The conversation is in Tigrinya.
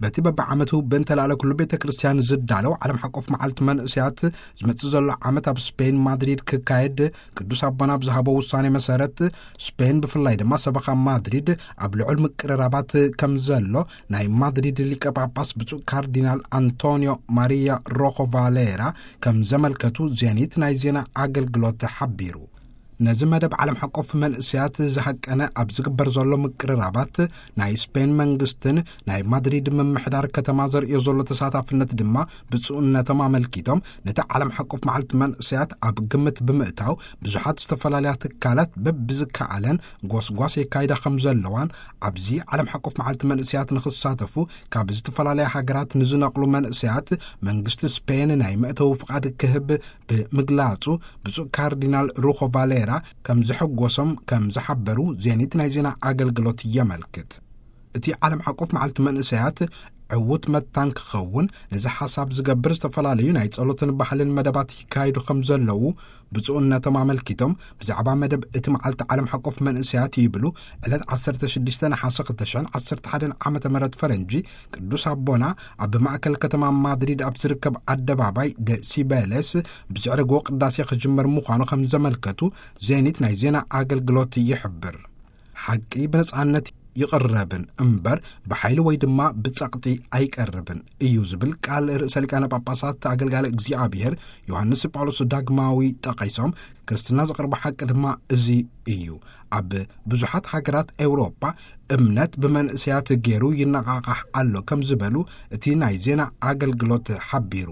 በቲ በብዓመቱ ብእንተላዕለ ኩሉ ቤተ ክርስቲያን ዝዳለው ዓለም ሓቆፍ መዓልቲ መንእስያት ዝመጽእ ዘሎ ዓመት ኣብ ስፔን ማድሪድ ክካየድ፣ ቅዱስ ኣቦና ብዝሃቦ ውሳኔ መሰረት፣ ስፔን ብፍላይ ድማ ሰበኻ ማድሪድ ኣብ ልዑል ምቅርራባት ከም ዘሎ ናይ ማድሪድ ሊቀ ጳጳስ ብፁዕ ካርዲናል ኣንቶኒዮ ማሪያ ሮኾ ቫሌራ ከም ዘመልከቱ ዜኒት ናይ ዜና ኣገልግሎት ሓቢሩ። ነዚ መደብ ዓለም ሓቆፍ መንእስያት ዝሃቀነ ኣብ ዝግበር ዘሎ ምቅርራባት፣ ናይ ስፔን መንግስትን ናይ ማድሪድ ምምሕዳር ከተማ ዘርእዮ ዘሎ ተሳታፍነት ድማ ብፁዕነቶም ኣመልኪቶም፣ ነቲ ዓለም ሓቆፍ መዓልቲ መንእስያት ኣብ ግምት ብምእታው፣ ብዙሓት ዝተፈላለያ ትካላት በብዝከኣለን ጎስጓስ የካይዳ ከም ዘለዋን፣ ኣብዚ ዓለም ሓቆፍ መዓልቲ መንእስያት ንኽሳተፉ ካብ ዝተፈላለያ ሃገራት ንዝነቕሉ መንእስያት መንግስቲ ስፔን ናይ መእተዊ ፍቓድ ክህብ ብምግላጹ፣ ብፁዕ ካርዲናል ሩኾ ቫሌራ ከም ዘሐጎሶም ከም ዝሓበሩ ዜኒት ናይ ዜና ኣገልግሎት የመልክት። እቲ ዓለም ሓቆፍ መዓልቲ መንእሰያት ዕዉት መታን ክኸውን ነዚ ሓሳብ ዝገብር ዝተፈላለዩ ናይ ጸሎትን ባህልን መደባት ይካየዱ ከም ዘለዉ ብፁዕነቶም ኣመልኪቶም፣ ብዛዕባ መደብ እቲ መዓልቲ ዓለም ሓቆፍ መንእሰያት ይብሉ፣ ዕለት ዓሰርተ ሽዱሽተ ነሓሰ ክልተ ሽሕን ዓሰርተ ሓደን ዓመተ ምህረት ፈረንጂ፣ ቅዱስ ኣቦና ኣብ ማእከል ከተማ ማድሪድ ኣብ ዝርከብ ኣደባባይ ደ ሲበለስ ብዝዕረግዎ ቅዳሴ ክጅመር ምዃኑ ከም ዘመልከቱ ዜኒት ናይ ዜና ኣገልግሎት ይሕብር። ሓቂ ብነጻነት ይቕረብን እምበር ብሓይሊ ወይ ድማ ብጸቕጢ ኣይቀርብን እዩ ዝብል ቃል ርእሰ ሊቃነ ጳጳሳት ኣገልጋሊ እግዚኣብሔር ዮሃንስ ጳውሎስ ዳግማዊ ጠቒሶም፣ ክርስትና ዘቕርቦ ሓቂ ድማ እዚ እዩ። ኣብ ብዙሓት ሃገራት ኤውሮጳ እምነት ብመንእሰያት ገይሩ ይነቓቓሕ ኣሎ ከም ዝበሉ እቲ ናይ ዜና ኣገልግሎት ሓቢሩ።